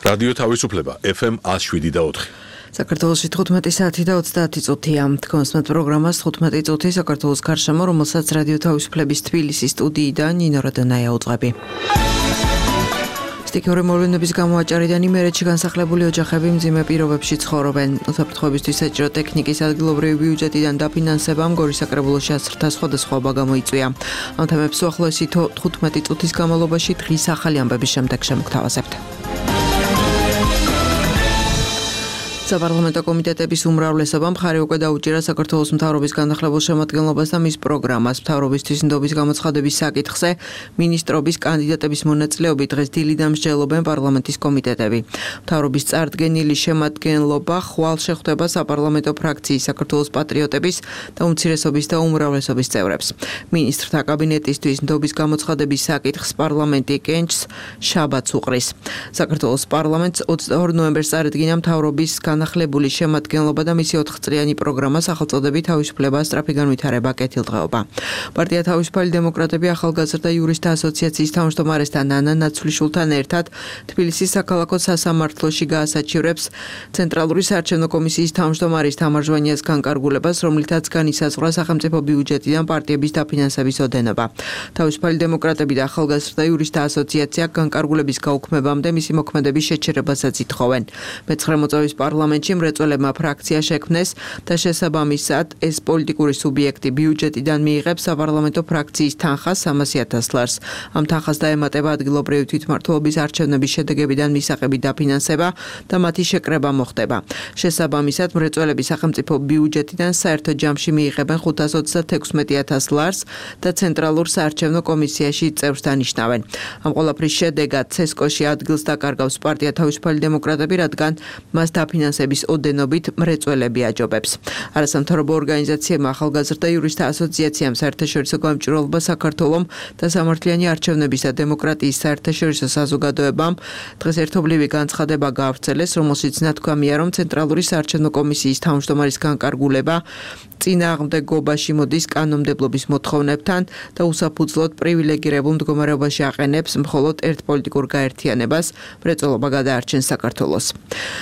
რადიო თავისუფლება FM 107.4. საქართველოში 15 საათი და 30 წუთია. თქვენს პროგრამას 15 წუთი საქართველოს გარშემო, რომელსაც რადიო თავისუფლების თბილისის სტუდიიდან ნინო რადონაია უძღვები. სტიქიური მოვლენების გამო აჭარიდან იმერეთში განსახლებული ოჯახები მძიმე პირობებში ცხოვრობენ. უსაფრთხოებისთვის საჭირო ტექნიკის ადგილობრივი ბიუჯეტიდან დაფინანსებამ გორის საკრებულოში ასრთა სხვადასხვაობა გამოიწვია. ამ თემებს უახლოესი 15 წუთის განმავლობაში დღის ახალი ამბების შემდეგ შემოგთავაზებთ. საპარლამენტო კომიტეტების უმრავლესობამ მხარი უკვე დაუჭირა საქართველოს მთავრობის განახლებულ შემადგენლობას და მის პროგრამას. მთავრობისთვის ნდობის გამოცხადების საკითხზე მინისტრობის კანდიდატების მონაწილეობით დღეს დილიდან მსჯელობენ პარლამენტის კომიტეტები. მთავრობის წარდგენილი შემადგენლობა ხვალ შეხვდება საპარლამენტო ფრაქციის საქართველოს პატრიოტების და უმცირესობის და უმრავლესობის წევრებს. მინისტრთა კაბინეტისთვის ნდობის გამოცხადების საკითხს პარლამენტი კენჭს შაბათს უყრის. საქართველოს პარლამენტს 22 ნოემბერს წარადგინა მთავრობის განახლებული შემადგენლობა და მისი 4 წლიანი პროგრამა სახელწოდებით თავისუფლება, სწრაფი განვითარება, კეთილდღეობა. პარტია თავისუფალი დემოკრატები ახალგაზრდა იურისტთა ასოციაციის თავმჯდომარესთან ანა ნაცვლიშვილთან ერთად თბილისის საქალაქო სასამართლოში გაასაჩივრებს ცენტრალური საარჩევნო კომისიის თავმჯდომარის თამარ ჟვანიას განკარგულებას, რომლითაც განისაზღვრა სახელმწიფო ბიუჯეტიდან პარტიების დაფინანსების ოდენობა. თავისუფალი დემოკრატები და ახალგაზრდა იურისტთა ასოციაცია განკარგულების გაუქმებამდე მისი მოქმედების შეჩერებასაც ითხოვენ. მეცხრე მოწვევის პარლამენტში მრეწველებმა ფრაქცია შექმნეს და შესაბამისად ეს პოლიტიკური სუბიექტი ბიუჯეტიდან მიიღებს საპარლამენტო ფრაქციის თანხას 300,000 ლარს. ამ თანხას დაემატება ადგილობრივი თვითმმართველობის არჩევნების შედეგებიდან მისაღები დაფინანსება და მათი შეკრება მოხდება. შესაბამისად მრეწველები სახელმწიფო ბიუჯეტიდან საერთო ჯამში მიიღებენ 526,000 ლარს და ცენტრალურ საარჩევნო კომისიაში წევრს დანიშნავენ. ამ ყველაფრის შედეგად ცესკოში ადგილს დაკარგავს პარტია თავისუფალი დემოკრატები, რადგან მას დაფინანსების ოდენობით მრეწველები აჯობებს. არასამთავრობო ორგანიზაციებმა ახალგაზრდა იურისტთა ასოციაციამ საერთაშორისო გამჭვირვალობა საქართველომ და სამართლიანი არჩევნების და დემოკრატიის საერთაშორისო საზოგადოებამ დღეს ერთობლივი განცხადება გაავრცელეს, რომელშიც ნათქვამია, რომ ცენტრალური საარჩევნო კომისიის თავმჯდომარის განკარგულება წინააღმდეგობაში მოდის კანონმდებლობის მოთხოვნებთან და უსაფუძვლოდ პრივილეგირებულ მდგომარეობაში აყენებს მხოლოდ ერთ პოლიტიკურ გაერთიანებას, მრეწველობა გადაარჩენს საქართველოს.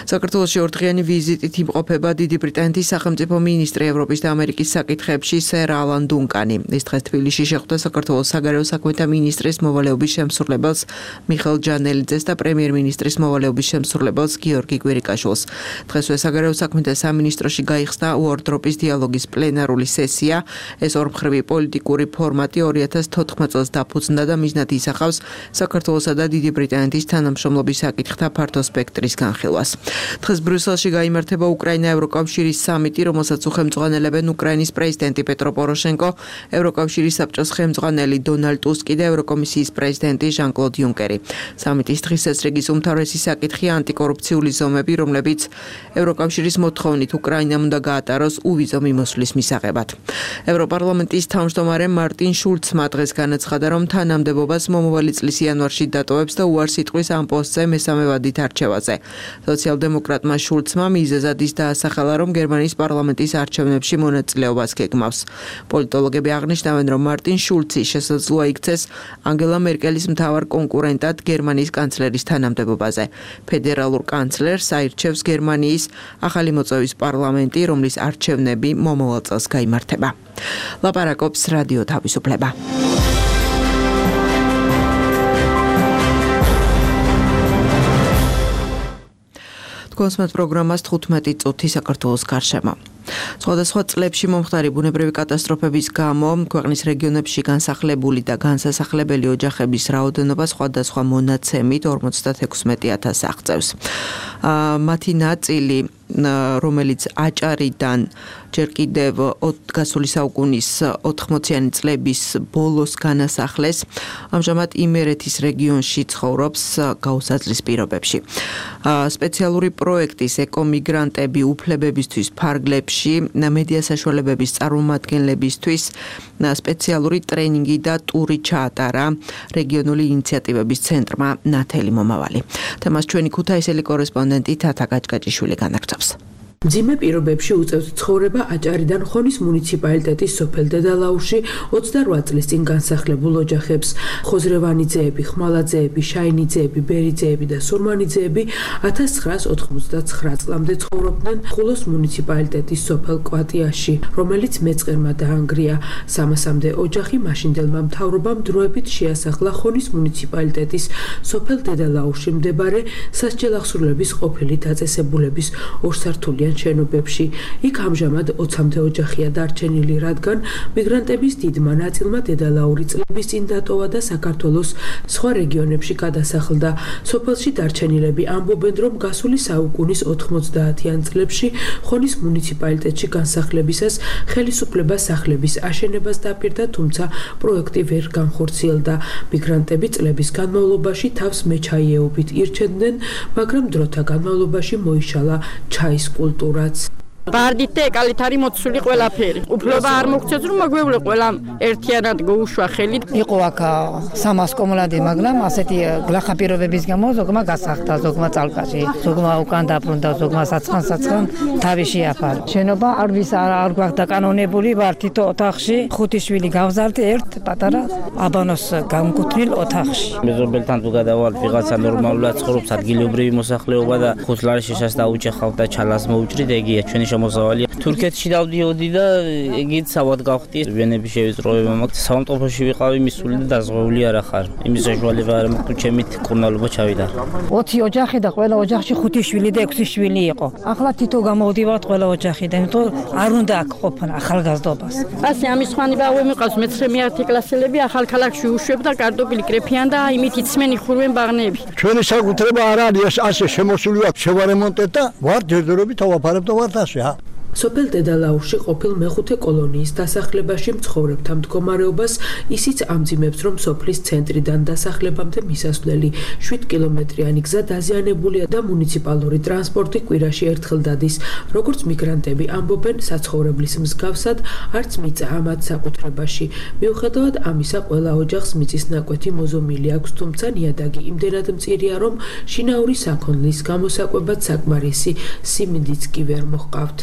საქართველოში ორდღიანი ვიზიტით იმყოფება დიდი ბრიტანეთის სახელმწიფო მინისტრი ევროპის და ამერიკის საკითხებში სერ ალან დუნკანი. ის დღეს თბილისში შეხვდა საქართველოს საგარეო საქმეთა მინისტრის მოვალეობის შემსრულებელს მიხეილ ჯანელიძეს და პრემიერ-მინისტრის მოვალეობის შემსრულებელს გიორგი კვირიკაშვილს. დღესვე საგარეო საქმეთა სამინისტროში გაიხსნა უორდროპის დიალოგის პლენარული სესია. ეს ორმხრივი პოლიტიკური ფორმატი 2014 წელს დაფუძნდა და მიზნად ისახავს საქართველოსა და დიდი ბრიტანეთის თანამშრომლობის საკითხთა ფართო სპექტრის განხილვას. დღეს ბრიუსელში გაიმართება უკრაინა-ევროკავშირის სამიტი, რომელსაც უხელმძღვანელებენ უკრაინის პრეზიდენტი პეტრო პოროშენკო, ევროკავშირის საბჭოს ხელმძღვანელი დონალდ ტუსკი და ევროკომისიის პრეზიდენტი ჟან-კლოდ იუნკერი. სამიტის დღესასრიგის უმთავრესი საკითხია ანტიკორუფციული ზომები, რომლებიც ევროკავშირის მოთხოვნით უკრაინამ უნდა გაატაროს უვიზო მიმოსვლის მისაღებად. ევროპარლამენტის თავმჯდომარე მარტინ შულცმა დღეს განაცხადა, რომ თანამდებობას მომავალი წლის იანვარში დატოვებს და უარს იტყვის ამ პოსტზე მესამე ვადით არჩევაზე. სოციალ-დემოკრატმა შულცმა მიზეზად ის დაასახელა, რომ გერმანიის პარლამენტის არჩევნებში მონაწილეობას გეგმავს. პოლიტოლოგები აღნიშნავენ, რომ მარტინ შულცი შესაძლოა იქცეს ანგელა მერკელის მთავარ კონკურენტად გერმანიის კანცლერის თანამდებობაზე. ფედერალურ კანცლერს აირჩევს გერმანიის ახალი მოწვევის პარლამენტი, რომლის არჩევნები მომავალ წელს გაიმართება. ლაპარაკობს რადიო თავისუფლება. კონსმეთ პროგრამას 15 წუთი საქართველოს გარშემო. სხვადასხვა წლებში მომხდარი ბუნებრივი კატასტროფების გამო ქვეყნის რეგიონებში განსახლებული და განსასახლებელი ოჯახების რაოდენობა სხვადასხვა მონაცემით 56,000 აღწევს. მათი ნაწილი, რომელიც აჭარიდან ჯერ კიდევ გასული საუკუნის 80-იანი წლების ბოლოს განასახლეს, ამჟამად იმერეთის რეგიონში ცხოვრობს გაუსაძლის პირობებში. სპეციალური პროექტის ეკომიგრანტები უფლებებისთვის ფარგლებში მედია საშუალებების წარმომადგენლებისთვის სპეციალური ტრენინგი და ტური ჩაატარა რეგიონული ინიციატივების ცენტრმა ნათელი მომავალი. თემას ჩვენი ქუთაისელი კორესპონდენტი თათა გაჭგაჭიშვილი განაგრძობს. მძიმე პირობებში უწევს ცხოვრება აჭარიდან ხონის მუნიციპალიტეტის სოფელ დედალაურში 28 წლის წინ განსახლებულ ოჯახებს. ხოზრევანიძეები, ხმალაძეები, შაინიძეები, ბერიძეები და სურმანიძეები 1989 წლამდე ცხოვრობდნენ ხულოს მუნიციპალიტეტის სოფელ კვატიაში, რომელიც მეწყერმა დაანგრია. 300-მდე ოჯახი მაშინდელმა მთავრობამ დროებით შეასახლა ხონის მუნიციპალიტეტის სოფელ დედალაურში მდებარე სასჯელახსრულების ყოფილი დაწესებულების ორსართულიან შენობებში. იქ ამჟამად 20-მდე ოჯახია დარჩენილი, რადგან მიგრანტების დიდმა ნაწილმა დედალაური წლების წინ დატოვა და საქართველოს სხვა რეგიონებში გადასახლდა. სოფელში დარჩენილები ამბობენ, რომ გასული საუკუნის 90-იან წლებში ხონის მუნიციპალიტეტში განსახლებისას ხელისუფლება სახლების აშენებას დაპირდა, თუმცა პროექტი ვერ განხორციელდა. მიგრანტები წლების განმავლობაში თავს მეჩაიეობით ირჩენდნენ, მაგრამ დროთა განმავლობაში მოიშალა ჩაის კულტურაც. ბარდით და ეკალით არის მოცული ყველაფერი. უფლება არ მოგცეს, რომ მოგვევლე ყველამ ერთიანად გაუშვა ხელი. იყო აქ 300 კომლადი, მაგრამ ასეთი გლახა პირობების გამო ზოგმა გასახდა, ზოგმა წალკაში, ზოგმა უკან დაბრუნდა, ზოგმა საცხან თავი შეაფარა. შენობა არ გვაქვს დაკანონებული, ვარ თითო ოთახში, 5 შვილი გავზარდი ერთ პატარა აბანოს გამკუთვნილ ოთახში. მეზობელთან თუ გადავალ, ვიღაცა ნორმალურად ცხოვრობს, ადგილობრივი მოსახლეობა და ხუთლარი შეშას დაუჭახავ და ჩალას მოუჭრით, ეგია ჩვენი მოსავალია. თურქეთში დავდიოდი და ეგეც სავად გავხდი. ვენები შევიწროვება, მაგრამ საავტოფოში ვიყავი მისული და დაზღვეული არ ახარ. იმის საშუალება არ მაქვს, თუ ჩემით კურნალობა ჩავიდა. 20 ოჯახი და ყველა ოჯახში 5 შვილი და 6 შვილი იყო. ახლა თითო გამოვდივართ ყველა ოჯახიდან, იმიტომ არ უნდა აქ ყოფნა ახალგაზრდობას. ასე ამის ხვანი ბავშვი მიყავს მე-11 კლასელები ახალ ქალაქში უშვებ და კარტოფილი კრეფიან და იმით იცმენ იხურვენ ბაღნები. ჩვენი საკუთრება არ არის ასე შემოსული აქვს, შევარემონტეთ და ვარ ჯერჯერობით ავაფარებ და ვარ ასე. სოფელ დედალაურში ყოფილ მეხუთე კოლონიის დასახლებაში მცხოვრებთა მდგომარეობას ისიც ამძიმებს, რომ სოფლის ცენტრიდან დასახლებამდე მისასვლელი 7 კილომეტრიანი გზა დაზიანებულია და მუნიციპალური ტრანსპორტი კვირაში ერთხელ დადის. როგორც მიგრანტები ამბობენ, საცხოვრებლის მსგავსად არც მიწა ამათ საკუთრებაში. მიუხედავად ამისა, ყველა ოჯახს მიწის ნაკვეთი მოზომილი აქვს, თუმცა ნიადაგი იმდენად მწირია, რომ შინაური საქონლის გამოსაკვებად საკმარისი სიმინდიც კი ვერ მოჰყავთ.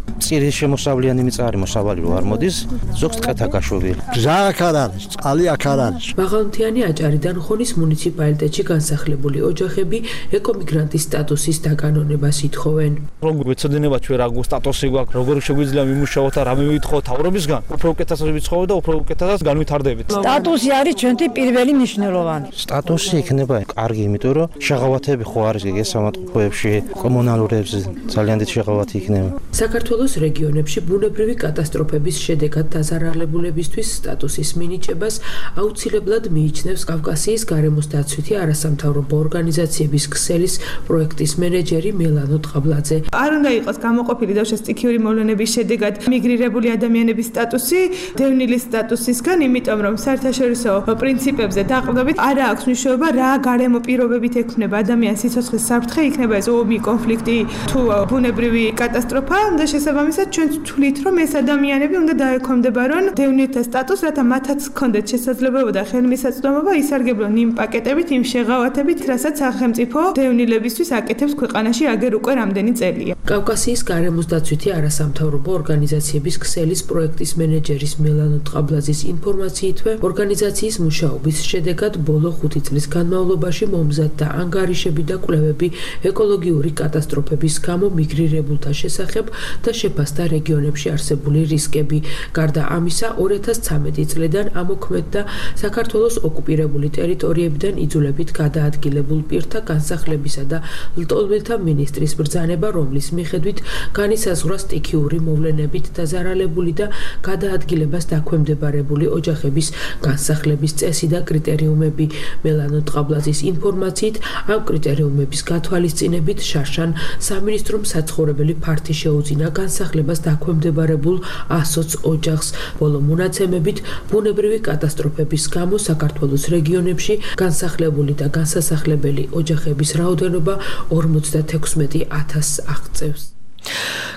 მწირი შემოსავლიანი მიწა არის, მოსავალი რო არ მოდის, ზოგს ტყეთა გაშვებული. გზა აქ არ არის, წყალი აქ არ არის. მაღალმთიანი აჭარიდან ხონის მუნიციპალიტეტში განსახლებული ოჯახები ეკომიგრანტის სტატუსის დაკანონებას ითხოვენ. რომ გვეცოდინება ჩვენ რა სტატუსი გვაქვს, როგორ შეგვიძლია მიმუშაოთ და რა მივითხოთ თავრობისგან, უფრო უკეთესად ვიცხოვოთ და უფრო უკეთესად განვითარდებით. სტატუსი არის ჩვენთვის პირველი მნიშვნელოვანი. სტატუსი იქნება კარგი, იმიტომ რომ შეღავათები ხო არის გესამართლოებში, კომუნალურებზე ძალიან დიდი შეღავათი იქნება. საქართველოს რეგიონებში ბუნებრივი კატასტროფების შედეგად დაზარალებულებისთვის სტატუსის მინიჭებას აუცილებლად მიიჩნევს კავკასიის გარემოს დაცვითი არასამთავრობო ორგანიზაციების ქსელის პროექტის მენეჯერი მელანო ტყაბლაძე. არ უნდა იყოს გამოყოფილი დავშა სტიქიური მოვლენების შედეგად მიგრირებული ადამიანების სტატუსი დევნილის სტატუსისგან, იმიტომ რომ საერთაშორისო პრინციპებზე დაყრდნობით არ აქვს მნიშვნელობა რა გარემო პირობებით ექნება ადამიანის სიცოცხლის საფრთხე, იქნება ეს ომი, კონფლიქტი თუ ბუნებრივი კატასტროფა და შესაბამისად ჩვენ ვთვლით, რომ ეს ადამიანები უნდა დაექვემდებარონ დევნილთა სტატუსს, რათა მათაც ჰქონდეთ შესაძლებლობა და ხელმისაწვდომობა ისარგებლონ იმ პაკეტებით, იმ შეღავათებით, რასაც სახელმწიფო დევნილებისთვის აკეთებს ქვეყანაში აგერ უკვე რამდენი წელია. კავკასიის გარემოს დაცვითი არასამთავრობო ორგანიზაციების ქსელის პროექტის მენეჯერის მელანო ტყაბლაძის ინფორმაციითვე, ორგანიზაციის მუშაობის შედეგად ბოლო 5 წლის განმავლობაში მომზადდა ანგარიშები და კვლევები ეკოლოგიური კატასტროფების გამო მიგრირებულთა შესახებ და შეფასდა რეგიონებში არსებული რისკები. გარდა ამისა, 2013 წლიდან ამოქმედდა საქართველოს ოკუპირებული ტერიტორიებიდან იძულებით გადაადგილებულ პირთა განსახლებისა და ლტოლვილთა მინისტრის ბრძანება, რომლის მიხედვით განისაზღვრა სტიქიური მოვლენებით დაზარალებული და გადაადგილებას დაქვემდებარებული ოჯახების განსახლების წესი და კრიტერიუმები. მელანო ტყაბლაძის ინფორმაციით, ამ კრიტერიუმების გათვალისწინებით შარშან სამინისტრომ საცხოვრებელი ფართი შეუძინა განსახლებას დაქვემდებარებულ 120 ოჯახს. ბოლო მონაცემებით, ბუნებრივი კატასტროფების გამო საქართველოს რეგიონებში განსახლებული და განსასახლებელი ოჯახების რაოდენობა 56,000 აღწევს.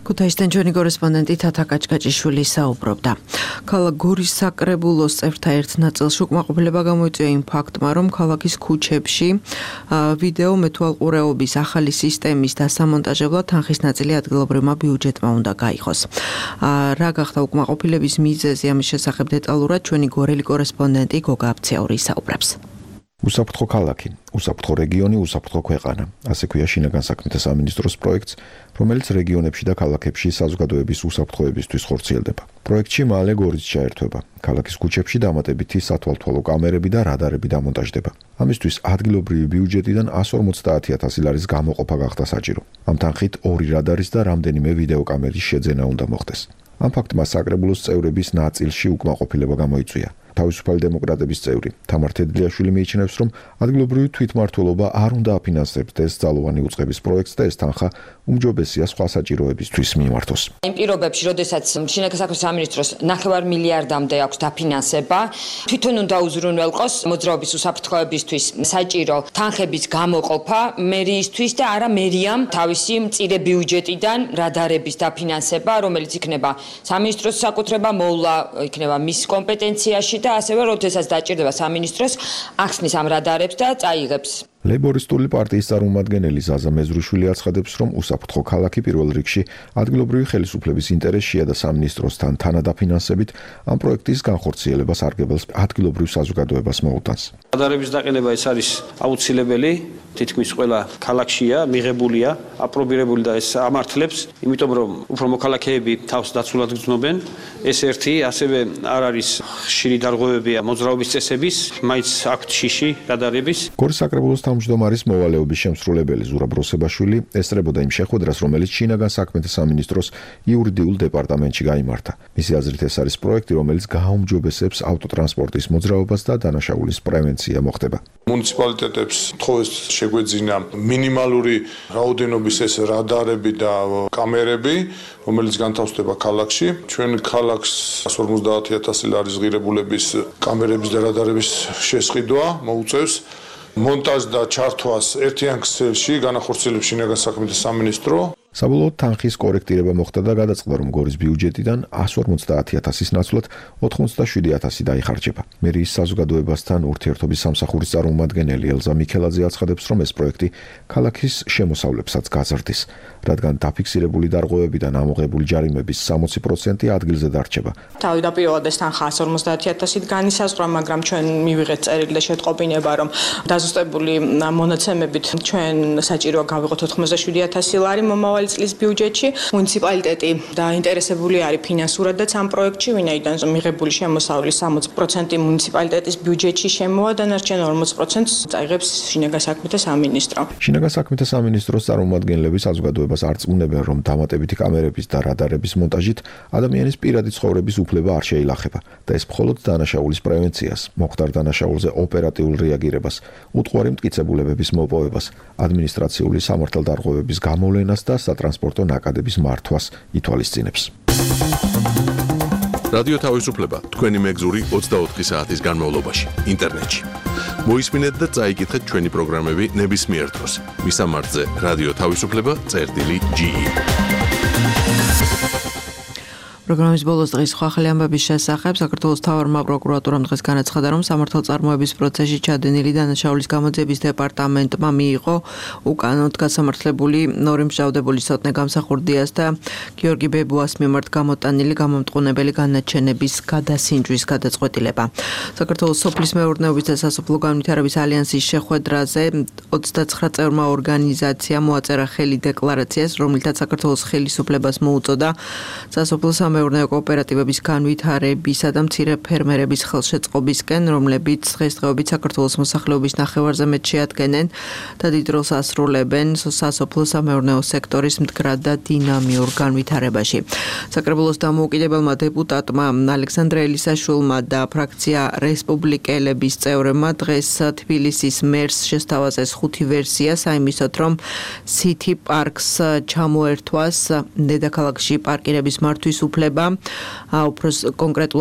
ქუთაისიდან ჩვენი კორესპონდენტი თათა კაჭკაჭიშვილი საუბრობდა. ქალაქ გორის საკრებულოს წევრთა ერთ ნაწილში უკმაყოფილება გამოიწვია იმ ფაქტმა, რომ ქალაქის ქუჩებში ვიდეო მეთვალყურეობის ახალი სისტემის დასამონტაჟებლად თანხის ნაწილი ადგილობრივმა ბიუჯეტმა უნდა გაიღოს. რა გახდა უკმაყოფილების მიზეზი, ამის შესახებ დეტალურად ჩვენი გორელი კორესპონდენტი გოგა აბცაური საუბრობს. უსაფრთხო ქალაქი, უსაფრთხო რეგიონი, უსაფრთხო ქვეყანა. ასე ქვია შინაგან საქმეთა სამინისტროს პროექტს, რომელიც რეგიონებში და ქალაქებში საზოგადოების უსაფრთხოებისთვის ხორციელდება. პროექტში მალე გორიც ჩაერთვება. ქალაქის ქუჩებში დამატებითი სათვალთვალო კამერები და რადარები დამონტაჟდება. ამისთვის ადგილობრივი ბიუჯეტიდან 150,000 ლარის გამოყოფა გახდა საჭირო. ამ თანხით 2 რადარის და რამდენიმე ვიდეო კამერის შეძენა უნდა მოხდეს. ამ ფაქტმა საკრებულოს წევრების ნაწილში უკმაყოფილება გამოიწვია. თავისუფალი დემოკრატების წევრი თამარ თედლიაშვილი მიიჩნევს, რომ ადგილობრივი თვითმმართველობა არ უნდა აფინანსებდეს ძალოვანი უწყების პროექტს და ეს თანხა უმჯობესია სხვა საჭიროებისთვის მიმართოს. იმ პირობებში, როდესაც შინაგან საქმეთა სამინისტროს 9 მილიარდამდე აქვს დაფინანსება, თვითონ უნდა უზრუნველყოს მოძრაობის უსაფრთხოებისთვის საჭირო თანხების გამოყოფა მერიისთვის და არა მერიამ თავისი მწირე ბიუჯეტიდან რადარების დაფინანსება, რომელიც იქნება სამინისტროს საკუთრება, მოვლა იქნება მის კომპეტენციაში და ასევე როდესაც დაჭირდება სამინისტროს ახსნის ამ რადარებს და წაიღებს. ლეიბორისტული პარტიის წარმომადგენელი ზაზა მეზრუშვილი აცხადებს, რომ უსაფრთხო ქალაქი პირველ რიგში ადგილობრივი ხელისუფლების ინტერესშია და სამინისტროსთან თანადაფინანსებით ამ პროექტის განხორციელებას არგებელს ადგილობრივ საზოგადოებას მოუტანს. რადარების დაყენება ეს არის აუცილებელი, თითქმის ყველა ქალაქშია, მიღებულია, აპრობირებული და ეს ამართლებს, იმიტომ რომ უფრო მოქალაქეები თავს დაცულად გრძნობენ. ეს ერთი, ასევე არ არის ხშირი დარღვევებია მოძრაობის წესების, მაინც აქვთ შიში რადარების. გორის საკრებულოს თავმჯდომარის მოვალეობის შემსრულებელი ზურაბ როსებაშვილი ესწრებოდა იმ შეხვედრას, რომელიც შინაგან საქმეთა სამინისტროს იურიდიულ დეპარტამენტში გაიმართა. მისი აზრით ეს არის პროექტი, რომელიც გააუმჯობესებს ავტოტრანსპორტის მოძრაობას და დანაშაულის პრევენცია მოხდება. მუნიციპალიტეტებს თხოვეს შეგვეძინა მინიმალური რაოდენობის ეს რადარები და კამერები, რომელიც განთავსდება ქალაქში. ჩვენ ქალაქს 150,000 ლარის ღირებულების კამერების და რადარების შესყიდვა მოუწევს. მონტაჟ და ჩართვას ერთიან ქსელში განახორციელებს შინაგან საქმეთა სამინისტრო. საბოლოოდ თანხის კორექტირება მოხდა და გადაწყდა, რომ გორის ბიუჯეტიდან 150,000-ის ნაცვლად 87,000 დაიხარჯება. მერიის საზოგადოებასთან ურთიერთობის სამსახურის წარმომადგენელი ელზა მიქელაძე აცხადებს, რომ ეს პროექტი ქალაქის შემოსავლებსაც გაზრდის, რადგან დაფიქსირებული დარღვევებიდან ამოღებული ჯარიმების 60% ადგილზე დარჩება. თავდაპირველად ეს თანხა 150,000-ით განისაზღვრა, მაგრამ ჩვენ მივიღეთ წერილი და შეტყობინება, რომ დაზუსტებული მონაცემებით ჩვენ საჭიროა გავიღოთ 87,000 ლარი მომავალი წლის ბიუჯეტში. მუნიციპალიტეტი დაინტერესებული არის ფინანსურად და ამ პროექტში, ვინაიდან მიღებული შემოსავლის 60% მუნიციპალიტეტის ბიუჯეტში შემოვა, დანარჩენ 40%-ს წაიღებს შინაგან საქმეთა სამინისტრო. შინაგან საქმეთა სამინისტროს წარმომადგენლები საზოგადოებას არწმუნებენ, რომ დამატებითი კამერების და რადარების მონტაჟით ადამიანის პირადი ცხოვრების უფლება არ შეილახება და ეს მხოლოდ დანაშაულის პრევენციას, მოხდარ დანაშაულზე ოპერატიულ რეაგირებას, უტყუარი მტკიცებულებების მოპოვებას, ადმინისტრაციული სამართალდარღვევების გამოვლენას და სატრანსპორტო ნაკადების მართვას ითვალისწინებს. რადიო თავისუფლება თქვენი მეგზური 24 საათის განმავლობაში ინტერნეტში. მოისმინეთ და წაიკითხეთ ჩვენი პროგრამები ნებისმიერ დროს. მისამართზე რადიო თავისუფლება.ge. პროგრამის ბოლოს დღის ახალი ამბების შესახებ საქართველოს მთავარმა პროკურატურამ დღეს განაცხადა, რომ სამართალწარმოების პროცესში ჩადენილი დანაშაულის გამოძიების დეპარტამენტმა მიიღო უკანონოდ გასამართლებული ნორი მჟავდებული სოტნე გამსახურდიას და გიორგი ბებუას მიმართ გამოტანილი გამომტყუნებელი განაჩენების გადასინჯვის გადაწყვეტილება. საქართველოს სოფლის მეურნეობის და სასოფლო განვითარების ალიანსის შეხვედრაზე 29 წევრმა ორგანიზაციამ მოაწერა ხელი დეკლარაციას, რომლითაც საქართველოს ხელისუფლებას მოუწოდა სასოფლო მეურნეო კოოპერატივების განვითარებისა და მცირე ფერმერების ხელშეწყობისკენ, რომლებიც დღესდღეობით საქართველოს მოსახლეობის ნახევარზე მეტ შეადგენენ და დიდ როლს ასრულებენ სასოფლო სამეურნეო სექტორის მდგრად და დინამიურ განვითარებაში. საკრებულოს დამოუკიდებელმა დეპუტატმა ალექსანდრე ელისაშვილმა და ფრაქცია რესპუბლიკელების წევრებმა დღეს თბილისის მერს შესთავაზეს 5 ვერსია საიმისოდ, რომ City Parks ჩამოერთვას დედაქალაქში პარკირების მართვის უფლება, უფრო კონკრეტულად